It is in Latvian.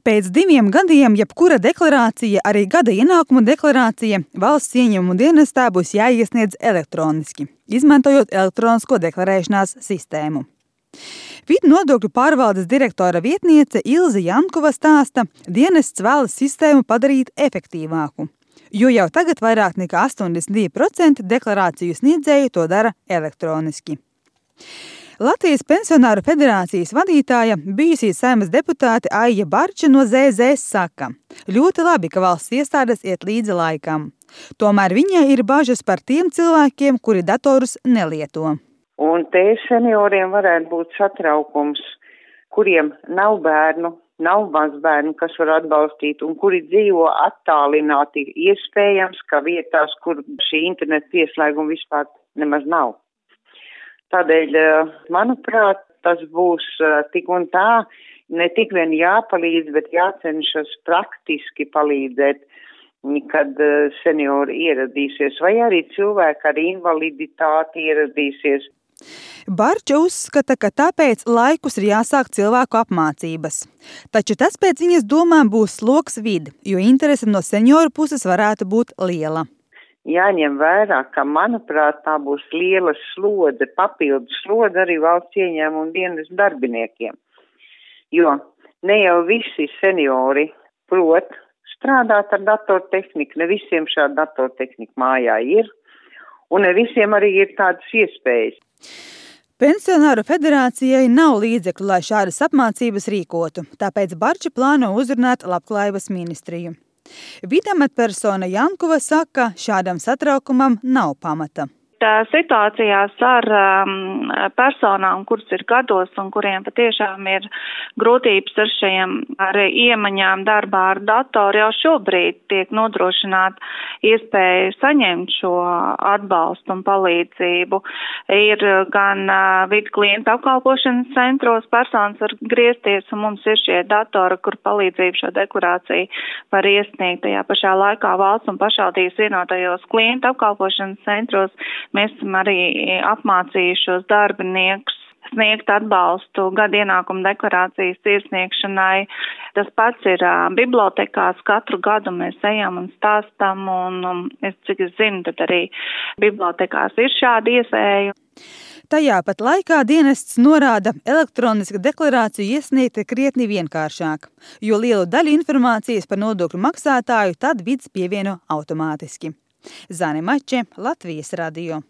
Pēc 2 gadiem jebkura deklarācija, arī gada ienākuma deklarācija, valsts ieņēmumu dienestā būs jāiesniedz elektroniski, izmantojot elektronisko deklarēšanās sistēmu. Vidu nodokļu pārvaldes direktora vietniece Ilze Jankova stāsta, dienests vēlas sistēmu padarīt efektīvāku, jo jau tagad vairāk nekā 82% deklarāciju sniedzēju to dara elektroniski. Latvijas pensionāru federācijas vadītāja, bijusī Saeimas deputāte Aija Barča no ZZS saka, ļoti labi, ka valsts iestādes iet līdzi laikam. Tomēr viņai ir bažas par tiem cilvēkiem, kuri datorus nelieto. Un te senioriem varētu būt satraukums, kuriem nav bērnu, nav mazbērnu, kas var atbalstīt, un kuri dzīvo attālināti, iespējams, ka vietās, kur šī interneta pieslēguma vispār nemaz nav. Tādēļ, manuprāt, tas būs tik un tā, ne tik vien jāpalīdz, bet jācenšas praktiski palīdzēt, kad seniori ieradīsies, vai arī cilvēki ar invaliditāti ieradīsies. Barča uzskata, ka tāpēc laikus ir jāsāk cilvēku apmācības. Taču tas pēc viņas domām būs sloks vidi, jo interese no senioru puses varētu būt liela. Jāņem vērā, ka, manuprāt, tā būs liela slodze, papildus slodze arī valsts ieņēmumu dienas darbiniekiem. Jo ne jau visi seniori prot strādāt ar datortehniku, ne visiem šāda datortehnika mājā ir, un ne visiem arī ir tādas iespējas. Pensionāru federācijai nav līdzekļu, lai šādas apmācības rīkotu, tāpēc Barča plāno uzrunāt Labklājības ministriju. Vidamatpersona Jankova saka, šādam satraukumam nav pamata. Situācijās ar personām, kuras ir gados un kuriem patiešām ir grūtības ar iemaņām darbā ar datoru, jau šobrīd tiek nodrošināta iespēja saņemt šo atbalstu un palīdzību. Ir gan vidu klientu apkalpošanas centros personas var griezties, un mums ir šie datori, kur palīdzību šo deklarāciju var iesniegt. Tajā pašā laikā valsts un pašvaldības vienotajos klientu apkalpošanas centros mēs esam arī apmācījušos darbiniekus sniegt atbalstu gada ienākuma deklarācijas iesniegšanai. Tas pats ir bibliotekās. Katru gadu mēs ejam un stāstam, un cik es zinu, tad arī bibliotekās ir šāda iespēja. Tajā pat laikā dienests norāda, elektroniska deklarāciju iesniegt ir krietni vienkāršāk, jo lielu daļu informācijas par nodokļu maksātāju tad vids pievieno automātiski. Zane Mače, Latvijas radio.